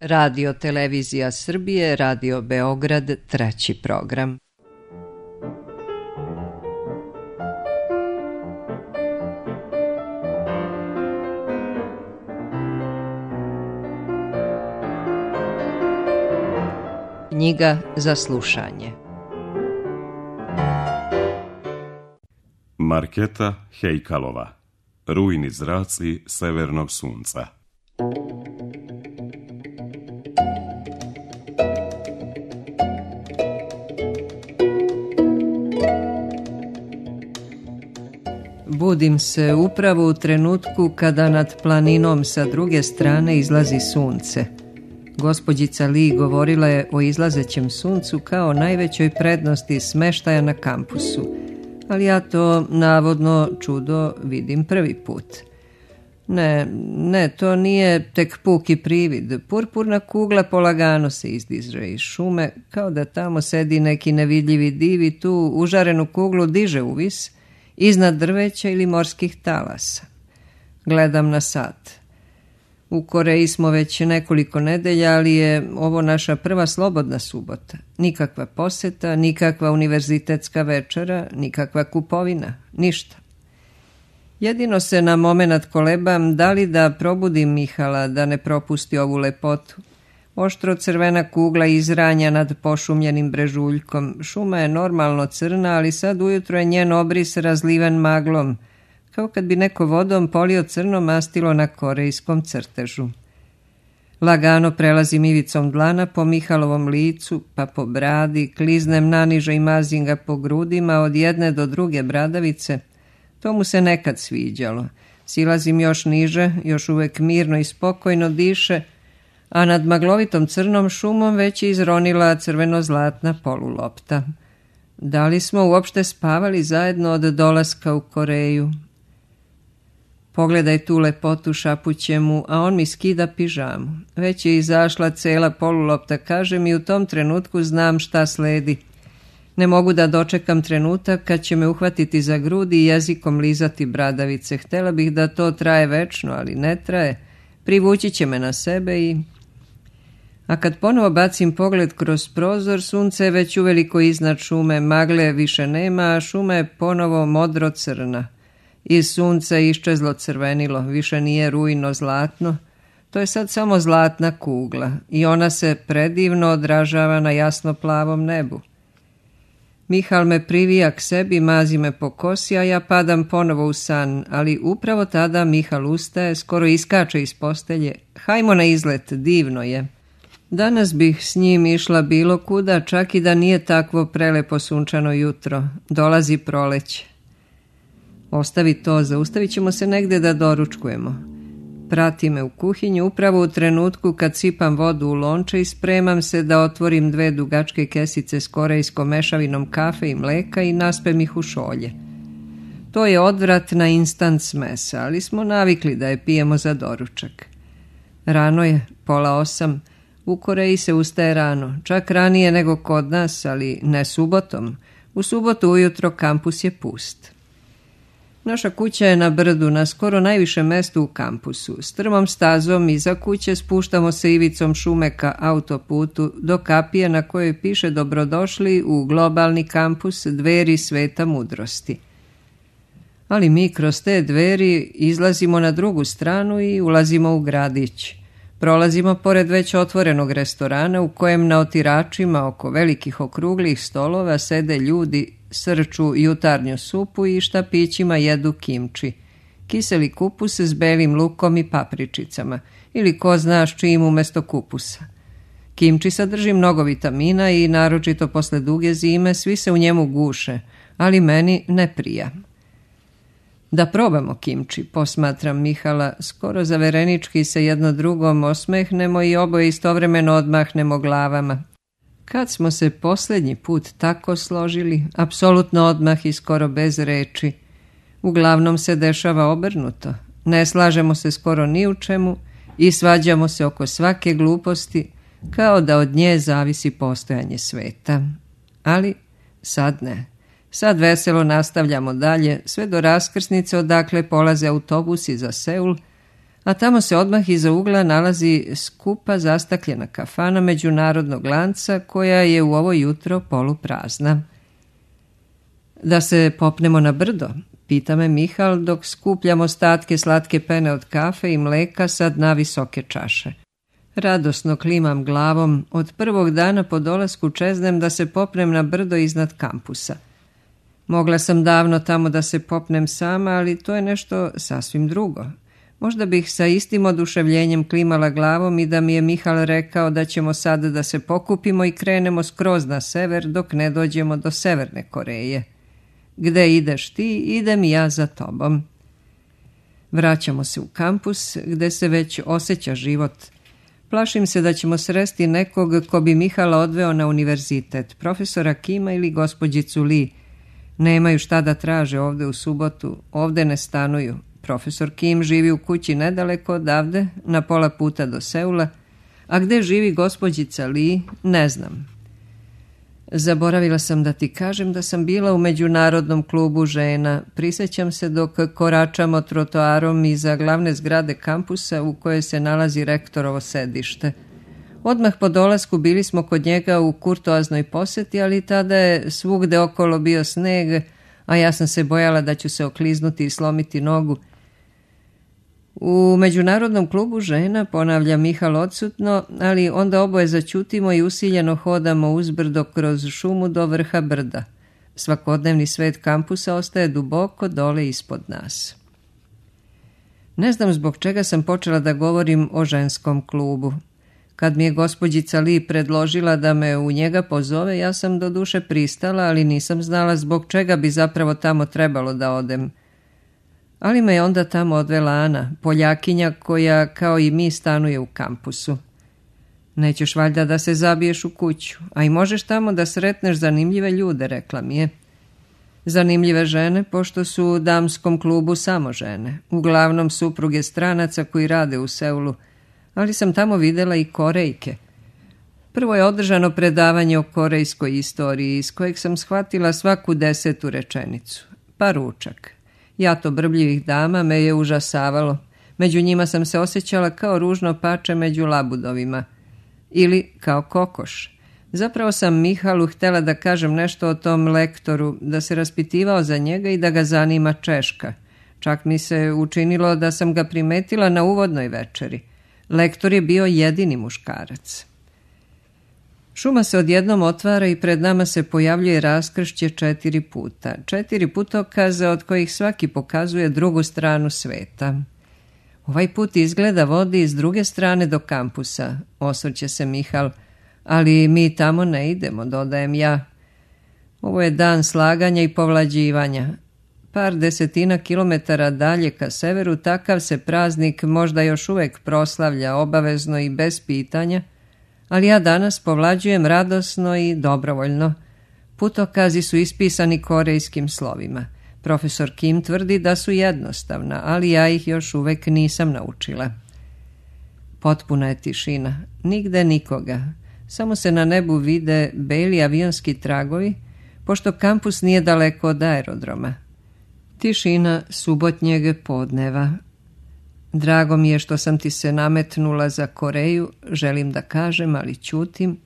Radio Televizija Srbije, Radio Beograd, 3. program. Knjiga za slušanje. Marketa Hejkalova. Rujni zraci severnog sunca. Budim se upravo u trenutku kada nad planinom sa druge strane izlazi sunce. Gospođica Li govorila je o izlazećem suncu kao najvećoj prednosti smeštaja na kampusu, ali ja to navodno čudo vidim prvi put. Ne, to nije tek puki privid. Purpurna kugla polagano se izdiže iz šume, kao da tamo sedi neki nevidljivi div i tu užarenu kuglu diže uvis, iznad drveća ili morskih talasa. Gledam na sat. U Koreji smo već nekoliko nedelja, ali je ovo naša prva slobodna subota. Nikakva poseta, nikakva univerzitetska večera, nikakva kupovina, ništa. Jedino se na momenat kolebam da li da probudim Mihala da ne propusti ovu lepotu. Oštro crvena kugla izranja nad pošumljenim brežuljkom. Šuma je normalno crna, ali sad ujutro je njen obris razliven maglom, kao kad bi neko vodom polio crno mastilo na korejskom crtežu. Lagano prelazim ivicom dlana po Mihalovom licu, pa po bradi, kliznem naniže i mazim ga po grudima od jedne do druge bradavice. To mu se nekad sviđalo. Silazim još niže, još uvek mirno i spokojno diše, a nad maglovitom crnom šumom već je izronila crveno-zlatna polulopta. Da li smo uopšte spavali zajedno od dolaska u Koreju? Pogledaj tu lepotu, šapuće mu, a on mi skida pižamu. Već je izašla cela polulopta, kažem, i u tom trenutku znam šta sledi. Ne mogu da dočekam trenutak kad će me uhvatiti za grudi i jezikom lizati bradavice. Htela bih da to traje večno, ali ne traje. Privući će me na sebe i... A kad ponovo bacim pogled kroz prozor, sunce je već uveliko iznad šume, magle više nema, a šuma je ponovo modro-crna. Iz sunca je iščezlo crvenilo, više nije rujno zlatno, to je sad samo zlatna kugla i ona se predivno odražava na jasno plavom nebu. Mihal me privija k sebi, mazi me po kosi, a ja padam ponovo u san, ali upravo tada Mihal ustaje, skoro iskače iz postelje. Hajmo na izlet, divno je. Danas bih s njim išla bilo kuda, čak i da nije takvo prelepo sunčano jutro. Dolazi proleće. Ostavi to, zaustavit ćemo se negde da doručkujemo. Prati me u kuhinju upravo u trenutku kad sipam vodu u lonče i spremam se da otvorim 2 dugačke kesice s korejskom mešavinom kafe i mleka i naspem ih u šolje. To je odvrat na instant smesa, ali smo navikli da je pijemo za doručak. Rano je, 7:30. U Koreji se ustaje rano, čak ranije nego kod nas, ali ne subotom. U subotu ujutro kampus je pust. Naša kuća je na brdu, na skoro najvišem mestu u kampusu. Strmom stazom iza kuće spuštamo se ivicom šume ka autoputu do kapije na kojoj piše dobrodošli u globalni kampus Dveri sveta mudrosti. Ali mi kroz te dveri izlazimo na drugu stranu i ulazimo u gradić. Prolazimo pored već otvorenog restorana u kojem na otiračima oko velikih okruglih stolova sede ljudi, srču jutarnju supu i štapićima jedu kimči, kiseli kupus s belim lukom i papričicama, ili ko zna s čim umesto kupusa. Kimči sadrži mnogo vitamina i naročito posle duge zime svi se u njemu guše, ali meni ne prija. Da probamo kimči, posmatram Mihala, skoro zaverenički se jedno drugom osmehnemo i oboje istovremeno odmahnemo glavama. Kad smo se posljednji put tako složili, apsolutno odmah i skoro bez reči. Uglavnom se dešava obrnuto. Ne slažemo se skoro ni u čemu i svađamo se oko svake gluposti, kao da od nje zavisi postojanje sveta. Ali sad ne. Sad veselo nastavljamo dalje, sve do raskrsnice odakle polaze autobusi za Seul, a tamo se odmah iza ugla nalazi skupa zastakljena kafana međunarodnog lanca koja je u ovo jutro poluprazna. Da se popnemo na brdo, pita me Mihal dok skupljam ostatke slatke pene od kafe i mleka sa dna visoke čaše. Radosno klimam glavom, od prvog dana po dolasku čeznem da se popnem na brdo iznad kampusa. Mogla sam davno tamo da se popnem sama, ali to je nešto sasvim drugo. Možda bih sa istim oduševljenjem klimala glavom i da mi je Mihal rekao da ćemo sad da se pokupimo i krenemo skroz na sever dok ne dođemo do Severne Koreje. Gde ideš ti, idem i ja za tobom. Vraćamo se u kampus gde se već osjeća život. Plašim se da ćemo sresti nekog ko bi Mihala odveo na univerzitet, profesora Kima ili gospođicu Lee. Nemaju šta da traže ovde u subotu, ovde ne stanuju. Profesor Kim živi u kući nedaleko odavde, na pola puta do Seula, a gde živi gospođica Lee, ne znam. Zaboravila sam da ti kažem da sam bila u međunarodnom klubu žena. Prisjećam se dok koračamo trotoarom iza glavne zgrade kampusa u kojoj se nalazi rektorovo sedište. Odmah po dolasku bili smo kod njega u kurtoaznoj posjeti, ali tada je svugde okolo bio sneg, a ja sam se bojala da ću se okliznuti i slomiti nogu. U međunarodnom klubu žena, ponavlja Mihal odsutno, ali onda oboje začutimo i usiljeno hodamo uzbrdo kroz šumu do vrha brda. Svakodnevni svet kampusa ostaje duboko dole ispod nas. Ne znam zbog čega sam počela da govorim o ženskom klubu. Kad mi je gospođica Lee predložila da me u njega pozove, ja sam doduše pristala, ali nisam znala zbog čega bi zapravo tamo trebalo da odem. Ali me je onda tamo odvela Ana, Poljakinja koja kao i mi stanuje u kampusu. Nećeš valjda da se zabiješ u kuću, a i možeš tamo da sretneš zanimljive ljude, rekla mi je. Zanimljive žene, pošto su u damskom klubu samo žene, uglavnom supruge stranaca koji rade u Seulu, ali sam tamo videla i Korejke. Prvo je održano predavanje o korejskoj istoriji, iz kojeg sam shvatila svaku 10. rečenicu. Pa ručak. Jato brbljivih dama me je užasavalo. Među njima sam se osjećala kao ružno pače među labudovima. Ili kao kokoš. Zapravo sam Mihalu htjela da kažem nešto o tom lektoru, da se raspitivao za njega i da ga zanima Češka. Čak mi se učinilo da sam ga primetila na uvodnoj večeri. Lektor je bio jedini muškarac. Šuma se odjednom otvara i pred nama se pojavljuje raskršće 4 puta. 4 putokaza od kojih svaki pokazuje drugu stranu sveta. Ovaj put izgleda vodi s druge strane do kampusa, osvrće se Mihal, ali mi tamo ne idemo, dodajem ja. Ovo je dan slaganja i povlađivanja. Par desetina kilometara dalje ka severu takav se praznik možda još uvek proslavlja obavezno i bez pitanja, ali ja danas povlađujem radosno i dobrovoljno. Putokazi su ispisani korejskim slovima. Profesor Kim tvrdi da su jednostavna, ali ja ih još uvek nisam naučila. Potpuna je tišina, nigde nikoga. Samo se na nebu vide beli avionski tragovi, pošto kampus nije daleko od aerodroma. Tišina subotnjeg podneva. Drago mi je što sam ti se nametnula za Koreju, želim da kažem, ali ćutim.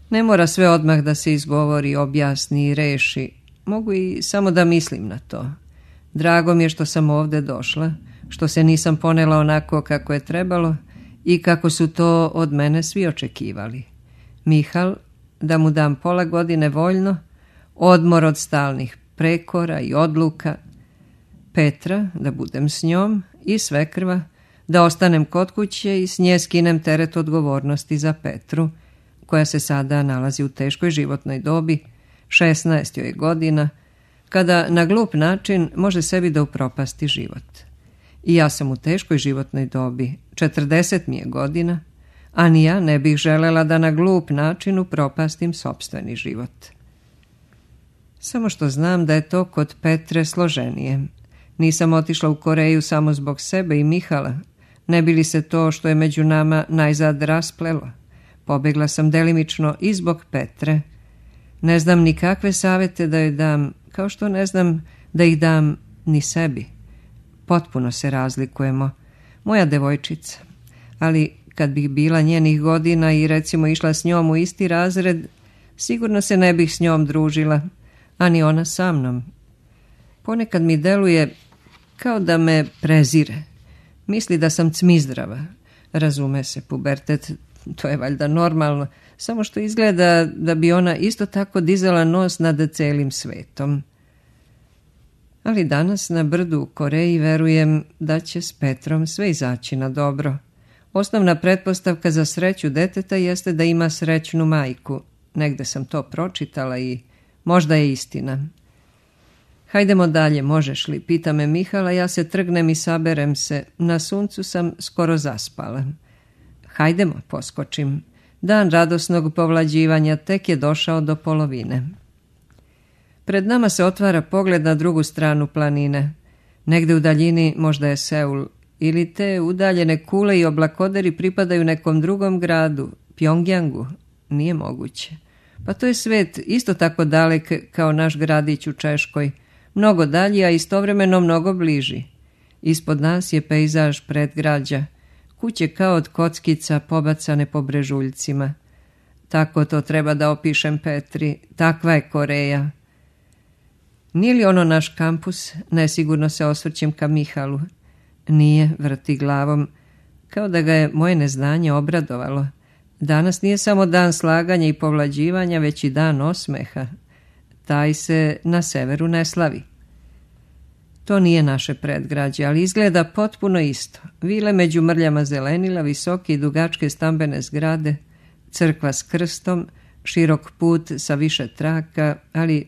Ne mora sve odmah da se izgovori, objasni i reši. Mogu i samo da mislim na to. Drago mi je što sam ovde došla, što se nisam ponela onako kako je trebalo i kako su to od mene svi očekivali. Mihal, da mu dam pola godine voljno, odmor od stalnih prekora i odluka, Petra, da budem s njom, i svekrva, da ostanem kod kuće i s nje skinem teret odgovornosti za Petru, koja se sada nalazi u teškoj životnoj dobi, 16 joj godina, kada na glup način može sebi da upropasti život. I ja sam u teškoj životnoj dobi, 40 mi je godina, a ni ja ne bih želela da na glup način upropastim sopstveni život. Samo što znam da je to kod Petre složenije. Nisam otišla u Koreju samo zbog sebe i Mihala, ne bi li se to što je među nama najzad rasplelo. Pobegla sam delimično i zbog Petre. Ne znam ni kakve savete da joj dam, kao što ne znam da ih dam ni sebi. Potpuno se razlikujemo. moja devojčica. Ali kad bih bila njenih godina i recimo išla s njom u isti razred, sigurno se ne bih s njom družila, a ni ona sa mnom. Ponekad mi deluje kao da me prezire. Misli da sam cmizdrava. Razume se, pubertet, to je valjda normalno, samo što izgleda da bi ona isto tako dizala nos nad celim svetom. Ali danas na brdu u Koreji verujem da će s Petrom sve izaći na dobro. Osnovna pretpostavka za sreću deteta jeste da ima srećnu majku. Negde sam to pročitala i možda je istina. Hajdemo dalje, možeš li? Pita me Mihala, ja se trgnem i saberem se. Na suncu sam skoro zaspala. Hajdemo, poskočim. Dan radosnog povlađivanja tek je došao do polovine. Pred nama se otvara pogled na drugu stranu planine. Negde u daljini možda je Seul, ili te udaljene kule i oblakoderi pripadaju nekom drugom gradu, Pjongjangu. Nije moguće. Pa to je svet isto tako dalek kao naš gradić u Češkoj. Mnogo dalji, a istovremeno mnogo bliži. Ispod nas je pejzaž predgrađa. Kuće kao od kockica pobacane po brežuljcima. Tako to treba da opišem Petri. Takva je Koreja. Nije li ono naš kampus? Nesigurno se osvrćem ka Mihalu. Nije, vrti glavom. Kao da ga je moje neznanje obradovalo. Danas nije samo dan slaganja i povlađivanja, već i dan osmeha. Taj se na severu ne slavi. To nije naše predgrađe, ali izgleda potpuno isto. Vile među mrljama zelenila, visoke i dugačke stambene zgrade, crkva s krstom, širok put sa više traka, ali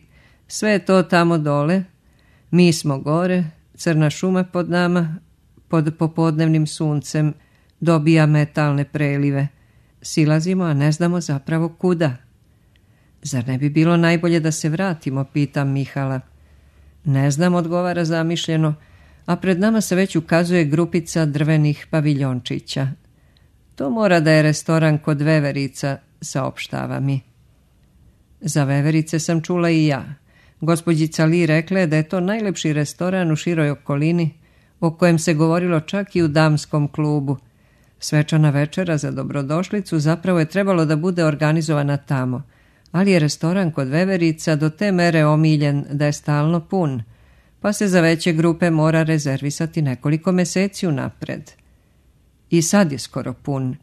sve je to tamo dole. Mi smo gore, crna šuma pod nama, pod popodnevnim suncem, dobija metalne prelive. Silazimo, a ne znamo zapravo kuda. Zar ne bi bilo najbolje da se vratimo, pitam Mihala. Ne znam, odgovara zamišljeno, a pred nama se već ukazuje grupica drvenih paviljončića. To mora da je restoran kod Veverica, saopštava mi. Za Veverice sam čula i ja. Gospođica Li rekla je da je to najlepši restoran u široj okolini, o kojem se govorilo čak i u damskom klubu. Svečana večera za dobrodošlicu zapravo je trebalo da bude organizovana tamo, ali je restoran kod Veverica do te mere omiljen da je stalno pun, pa se za veće grupe mora rezervisati nekoliko meseci unapred. I sad je skoro pun.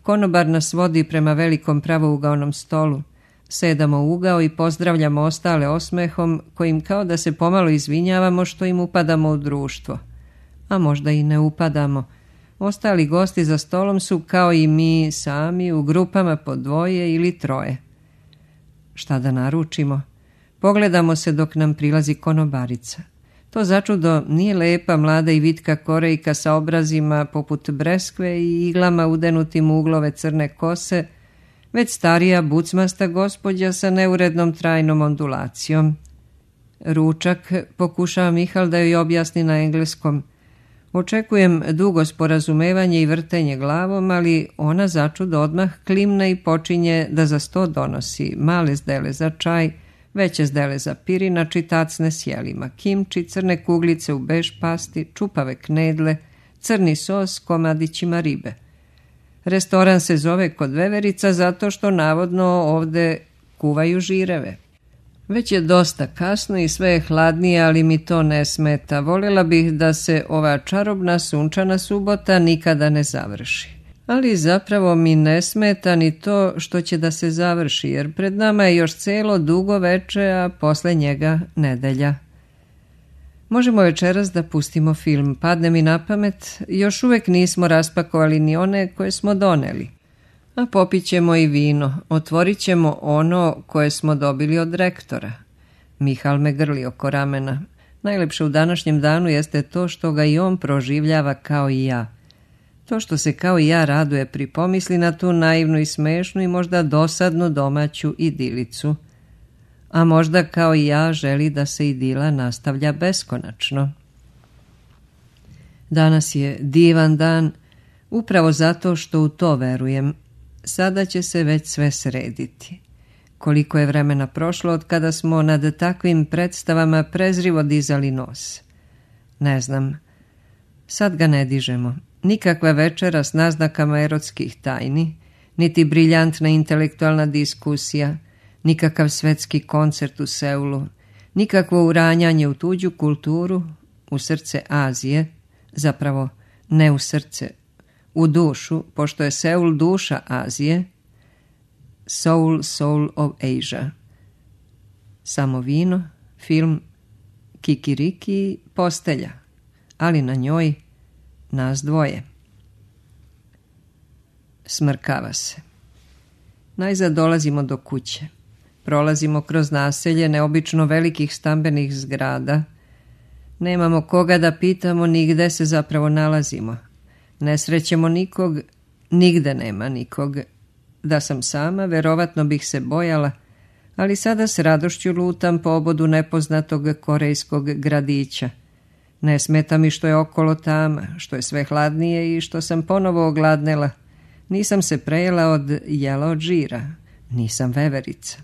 Konobar nas vodi prema velikom pravougaonom stolu. Sedamo u ugao i pozdravljamo ostale osmehom, kojim kao da se pomalo izvinjavamo što im upadamo u društvo. A možda i ne upadamo. Ostali gosti za stolom su kao i mi sami u grupama po 2 ili 3. Šta da naručimo? Pogledamo se dok nam prilazi konobarica. To začudo nije lepa, mlada i vitka Korejka sa obrazima poput breskve i iglama udenutim u uglove crne kose, već starija bucmasta gospođa sa neurednom trajnom ondulacijom. Ručak, pokušava Mihal da joj objasni na engleskom. Očekujem dugo sporazumevanje i vrtenje glavom, ali ona začudo odmah klimne i počinje da za sto donosi male zdele za čaj, veće zdele za pirinač i tacne s jelima, kimči, crne kuglice u bež pasti, čupave knedle, crni sos s komadićima ribe. Restoran se zove kod Veverica zato što navodno ovde kuvaju žireve. Već je dosta kasno i sve je hladnije, ali mi to ne smeta. Voljela bih da se ova čarobna sunčana subota nikada ne završi. Ali zapravo mi ne smeta ni to što će da se završi, jer pred nama je još celo dugo veče, a posle njega nedelja. Možemo večeras da pustimo film. Padne mi na pamet, još uvek nismo raspakovali ni one koje smo doneli. A popit ćemo i vino, otvorit ćemo ono koje smo dobili od rektora. Mihal me grli oko ramena. Najlepše u današnjem danu jeste to što ga i on proživljava kao i ja. To što se kao i ja raduje pri pomisli na tu naivnu i smešnu i možda dosadnu domaću idilicu. A možda kao i ja želi da se idila nastavlja beskonačno. Danas je divan dan, upravo zato što u to verujem. Sada će se već sve srediti. Koliko je vremena prošlo od kada smo nad takvim predstavama prezrivo dizali nos. Ne znam. Sad ga ne dižemo. Nikakva večera s naznakama erotskih tajni, niti briljantna intelektualna diskusija, nikakav svetski koncert u Seulu, nikakvo uranjanje u tuđu kulturu, u srce Azije, zapravo ne u srce, u dušu, pošto je Seul duša Azije, Soul of Asia. Samo vino, film, kikiriki, postelja, ali na njoj nas dvoje. Smrkava se. Najzad dolazimo do kuće. Prolazimo kroz naselje neobično velikih stambenih zgrada. Nemamo koga da pitamo ni gde se zapravo nalazimo. Ne srećemo nikog, nigde nema nikog. Da sam sama, verovatno bih se bojala, ali sada s radošću lutam po obodu nepoznatog korejskog gradića. Ne smeta mi što je okolo tama, što je sve hladnije i što sam ponovo ogladnela. Nisam se prejela od jela od žira, nisam veverica.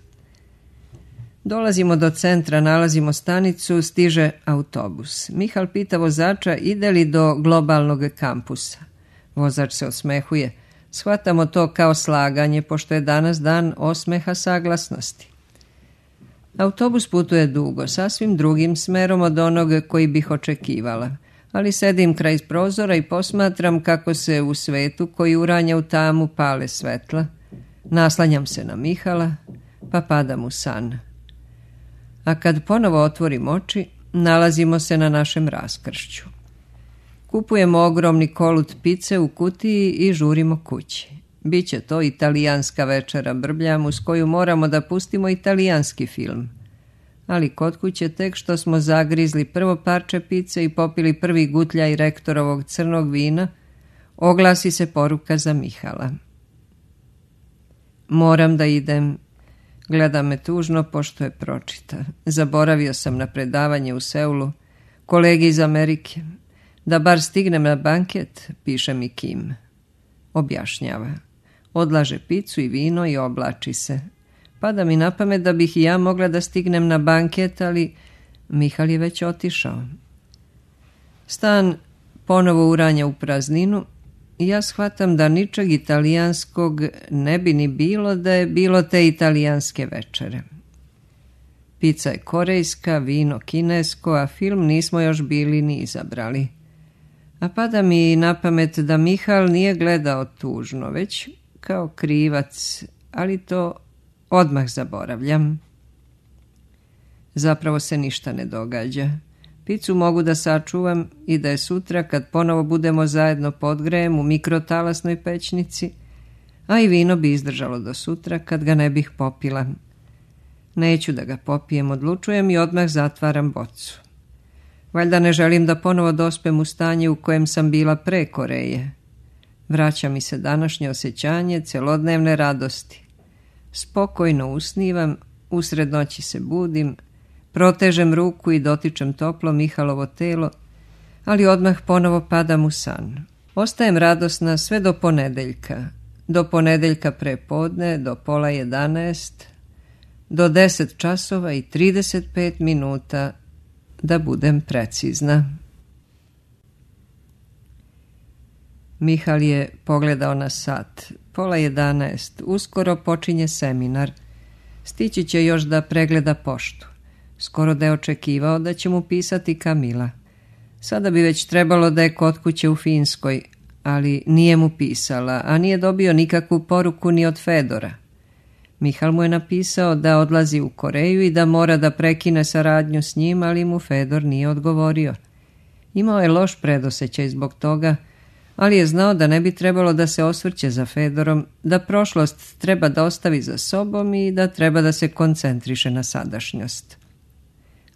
Dolazimo do centra, nalazimo stanicu, stiže autobus. Mihal pita vozača ide li do globalnog kampusa. Vozač se osmehuje. Shvatamo to kao slaganje, pošto je danas dan osmeha saglasnosti. Autobus putuje dugo, sasvim drugim smerom od onog koji bih očekivala, ali sedim kraj prozora i posmatram kako se u svetu koji uranja u tamu pale svetla. Naslanjam se na Mihala, pa padam u san. A kad ponovo otvorim oči, nalazimo se na našem raskršću. Kupujemo ogromni kolut pice u kutiji i žurimo kući. Biće to italijanska večera, brbljam, uz koju moramo da pustimo italijanski film. Ali kod kuće tek što smo zagrizli prvo parče pice i popili prvi gutljaj rektorovog crnog vina, oglasi se poruka za Mihala. Moram da idem. Gleda me tužno pošto je pročita. Zaboravio sam na predavanje u Seulu. Kolegi iz Amerike. Da bar stignem na banket, piše mi Kim. Objašnjava. Odlaže picu i vino i oblači se. Pada mi na pamet da bih i ja mogla da stignem na banket, ali Mihal je već otišao. Stan ponovo uranja u prazninu i ja shvatam da ničeg italijanskog ne bi ni bilo da je bilo te italijanske večere. Pica je korejska, vino kinesko, a film nismo još bili ni izabrali. A pada mi na pamet da Mihal nije gledao tužno, već kao krivac, ali to odmah zaboravljam. Zapravo se ništa ne događa. Picu mogu da sačuvam i da je sutra kad ponovo budemo zajedno podgrejem u mikrotalasnoj pećnici, a i vino bi izdržalo do sutra kad ga ne bih popila. Neću da ga popijem, odlučujem i odmah zatvaram bocu. Valjda ne želim da ponovo dospem u stanje u kojem sam bila pre Koreje. Vraća mi se današnje osjećanje celodnevne radosti. Spokojno usnivam, usred noći se budim, protežem ruku i dotičem toplo Mihalovo telo, ali odmah ponovo padam u san. Ostajem radosna sve do ponedeljka. Do ponedeljka prepodne, do 10:30, do 10:35, da budem precizna. Mihal je pogledao na sat. 10:30, uskoro počinje seminar. Stići će još da pregleda poštu. Skoro da je očekivao da će mu pisati Kamila. Sada bi već trebalo da je kod kuće u Finskoj, ali nije mu pisala, a nije dobio nikakvu poruku ni od Fedora. Mihal mu je napisao da odlazi u Koreju i da mora da prekine saradnju s njim, ali mu Fedor nije odgovorio. Imao je loš predosećaj zbog toga, ali je znao da ne bi trebalo da se osvrće za Fedorom, da prošlost treba da ostavi za sobom i da treba da se koncentriše na sadašnjost.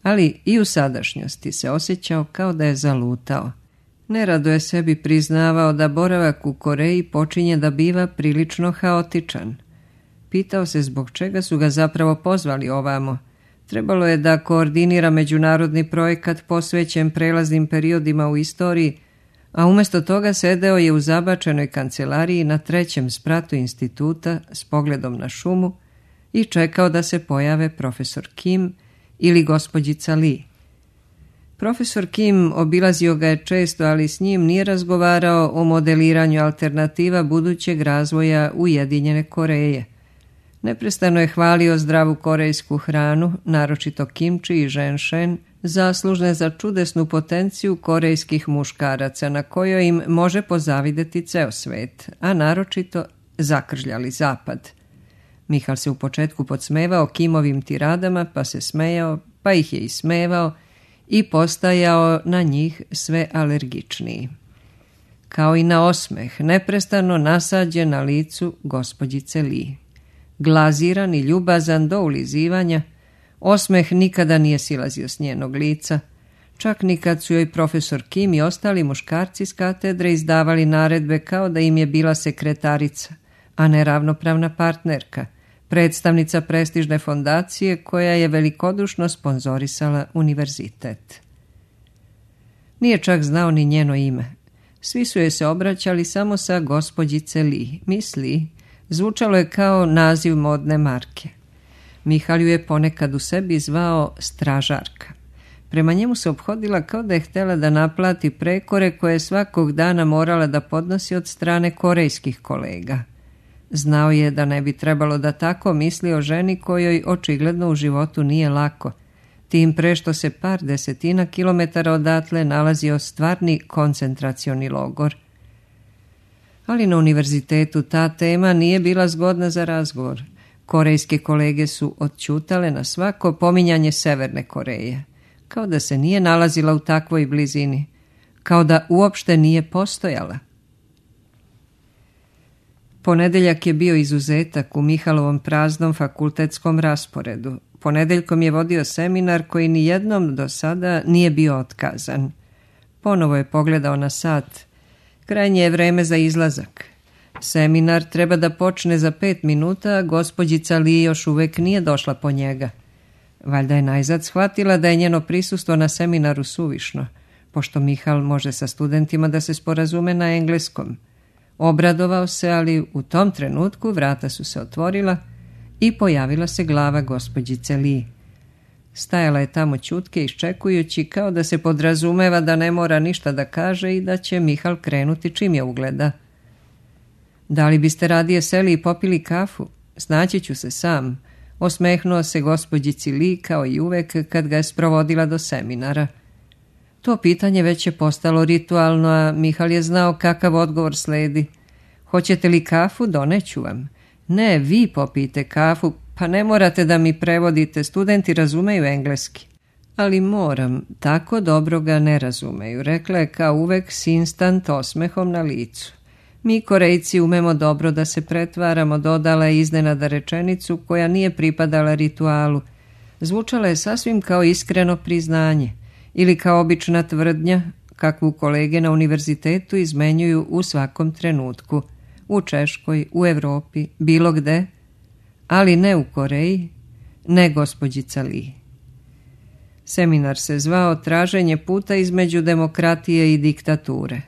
Ali i u sadašnjosti se osjećao kao da je zalutao. Nerado je sebi priznavao da boravak u Koreji počinje da biva prilično haotičan. Pitao se zbog čega su ga zapravo pozvali ovamo. Trebalo je da koordinira međunarodni projekat posvećen prelaznim periodima u istoriji, a umjesto toga sedeo je u zabačenoj kancelariji na 3. spratu instituta s pogledom na šumu i čekao da se pojave profesor Kim ili gospođica Lee. Profesor Kim obilazio ga je često, ali s njim nije razgovarao o modeliranju alternativa budućeg razvoja Ujedinjene Koreje. Neprestano je hvalio zdravu korejsku hranu, naročito kimči i ženšen, zaslužne za čudesnu potenciju korejskih muškaraca na kojoj im može pozavideti ceo svet, a naročito zakržljali zapad. Mihal se u početku podsmevao Kimovim tiradama, pa se smejao, pa ih je ismevao i postajao na njih sve alergičniji. Kao i na osmeh, neprestano nasađen na licu gospođice Lee. Glaziran i ljubazan do ulizivanja, osmeh nikada nije silazio s njenog lica, čak ni kad su joj profesor Kim i ostali muškarci s katedre izdavali naredbe kao da im je bila sekretarica, a ne ravnopravna partnerka, predstavnica prestižne fondacije koja je velikodušno sponzorisala univerzitet. Nije čak znao ni njeno ime. Svi su joj se obraćali samo sa gospođice Lee. Miss Lee zvučalo je kao naziv modne marke. Mihal ju je ponekad u sebi zvao stražarka. Prema njemu se ophodila kao da je htjela da naplati prekore koje je svakog dana morala da podnosi od strane korejskih kolega. Znao je da ne bi trebalo da tako misli o ženi kojoj očigledno u životu nije lako, tim pre što se par desetina kilometara odatle nalazio stvarni koncentracioni logor. Ali na univerzitetu ta tema nije bila zgodna za razgovor. Korejske kolege su odćutale na svako pominjanje Severne Koreje, kao da se nije nalazila u takvoj blizini, kao da uopšte nije postojala. Ponedeljak je bio izuzetak u Mihalovom praznom fakultetskom rasporedu. Ponedeljkom je vodio seminar koji ni jednom do sada nije bio otkazan. Ponovo je pogledao na sat. Krajnje je vreme za izlazak. Seminar treba da počne za 5 minuta, a gospođica Lee još uvek nije došla po njega. Valjda je najzad shvatila da je njeno prisustvo na seminaru suvišno, pošto Mihal može sa studentima da se sporazume na engleskom. Obradovao se, ali u tom trenutku vrata su se otvorila i pojavila se glava gospođice Lee. Stajala je tamo ćutke iščekujući kao da se podrazumeva da ne mora ništa da kaže i da će Mihal krenuti čim je ugleda. Da li biste radije seli i popili kafu? Snaći ću se sam, osmehnuo se gospođici Lee kao i uvek kad ga je sprovodila do seminara. To pitanje već je postalo ritualno, a Mihal je znao kakav odgovor sledi. Hoćete li kafu? Doneću vam. Ne, vi popijte kafu, pa ne morate da mi prevodite, studenti razumeju engleski. Ali moram, tako dobro ga ne razumeju, rekla je kao uvek s instant osmehom na licu. Mi Korejci umemo dobro da se pretvaramo, dodala je iznenada rečenicu koja nije pripadala ritualu. Zvučala je sasvim kao iskreno priznanje ili kao obična tvrdnja kakvu kolege na univerzitetu izmenjuju u svakom trenutku, u Češkoj, u Evropi, bilo gde, ali ne u Koreji, ne gospođica Lee. Seminar se zvao Traženje puta između demokratije i diktature.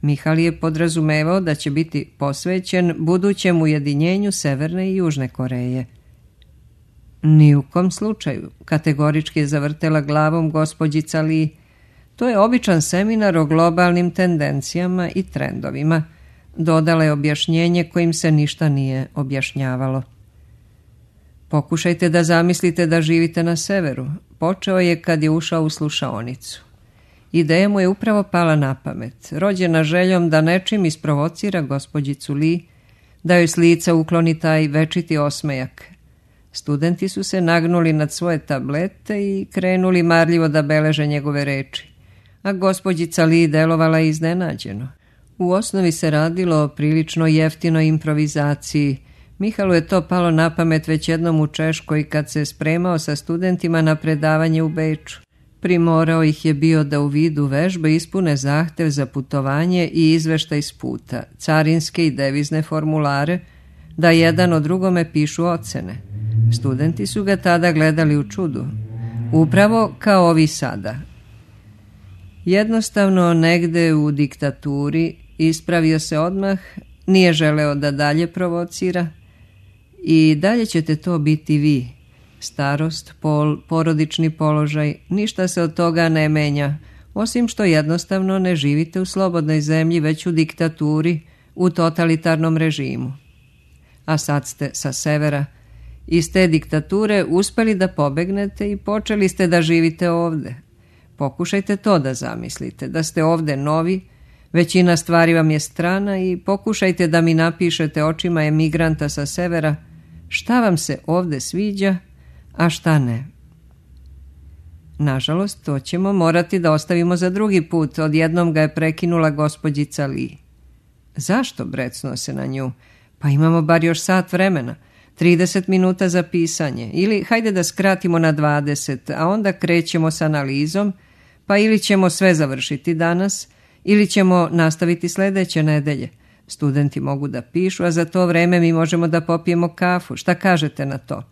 Mihal je podrazumevao da će biti posvećen budućem ujedinjenju Severne i Južne Koreje. Ni u kom slučaju, kategorički je zavrtela glavom gospođica Lee. To je običan seminar o globalnim tendencijama i trendovima. Dodala je objašnjenje kojim se ništa nije objašnjavalo. Pokušajte da zamislite da živite na severu. Počeo je kad je ušao u slušaonicu. Ideja mu je upravo pala na pamet, rođena željom da nečim isprovocira gospođicu Lee, da joj s lica ukloni taj večiti osmejak. Studenti su se nagnuli nad svoje tablete i krenuli marljivo da beleže njegove reči, a gospođica Lee delovala iznenađeno. U osnovi se radilo o prilično jeftinoj improvizaciji. Mihalu je to palo na pamet već jednom u Češkoj kad se spremao sa studentima na predavanje u Beču. Primorao ih je bio da u vidu vežbe ispune zahtev za putovanje i izveštaj s puta, carinske i devizne formulare, da jedan o drugome pišu ocene. Studenti su ga tada gledali u čudu, upravo kao ovi sada. Jednostavno negde u diktaturi ispravio se odmah, nije želeo da dalje provocira. I dalje ćete to biti vi, Starost, pol, porodični položaj, ništa se od toga ne menja, osim što jednostavno ne živite u slobodnoj zemlji, već u diktaturi, u totalitarnom režimu. A sad ste sa severa iz te diktature uspeli da pobegnete i počeli ste da živite ovde. Pokušajte to da zamislite, da ste ovde novi, većina stvari vam je strana i pokušajte da mi napišete očima emigranta sa severa šta vam se ovde sviđa, a šta ne. Nažalost, to ćemo morati da ostavimo za drugi put, odjednom ga je prekinula gospođica Li. Zašto, brecnuo se na nju? Pa imamo bar još sat vremena, 30 minuta za pisanje, ili hajde da skratimo na 20, a onda krećemo s analizom, pa ili ćemo sve završiti danas, ili ćemo nastaviti sljedeće nedelje. Studenti mogu da pišu, a za to vreme mi možemo da popijemo kafu. Šta kažete na to?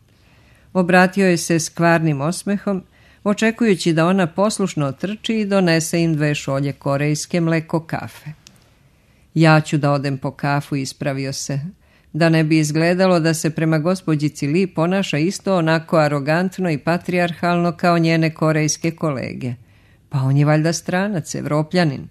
Obratio je se s kvarnim osmehom, očekujući da ona poslušno otrči i donese im 2 šolje korejske mleko kafe. Ja ću da odem po kafu, ispravio se, da ne bi izgledalo da se prema gospođici Li ponaša isto onako arogantno i patrijarhalno kao njene korejske kolege. Pa on je valjda stranac, Evropljanin.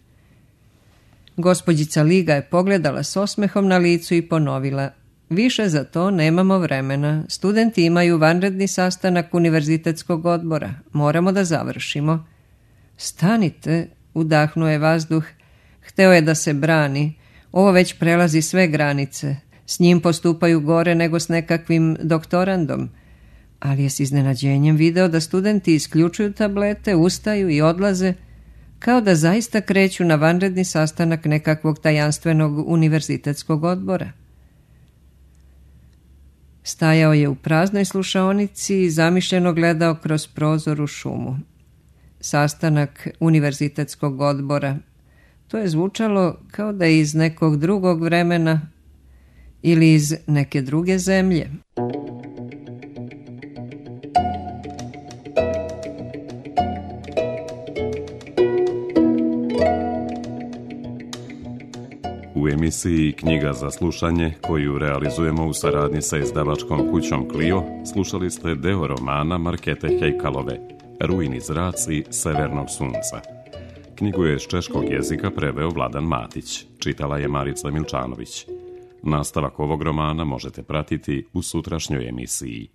Gospođica Li ga je pogledala s osmehom na licu i ponovila: više za to nemamo vremena. Studenti imaju vanredni sastanak univerzitetskog odbora. Moramo da završimo. Stanite, udahnuo je vazduh. Hteo je da se brani. Ovo već prelazi sve granice. S njim postupaju gore nego s nekakvim doktorandom. Ali je s iznenađenjem video da studenti isključuju tablete, ustaju i odlaze, kao da zaista kreću na vanredni sastanak nekakvog tajanstvenog univerzitetskog odbora. Stajao je u praznoj slušaonici i zamišljeno gledao kroz prozor u šumu. Sastanak univerzitetskog odbora. To je zvučalo kao da je iz nekog drugog vremena ili iz neke druge zemlje. U emisiji Knjiga za slušanje, koju realizujemo u saradnji sa izdavačkom kućom Clio, slušali ste deo romana Markete Hejkalove, Rujni zraci severnog sunca. Knjigu je s češkog jezika preveo Vladan Matić, čitala je Marica Milčanović. Nastavak ovog romana možete pratiti u sutrašnjoj emisiji.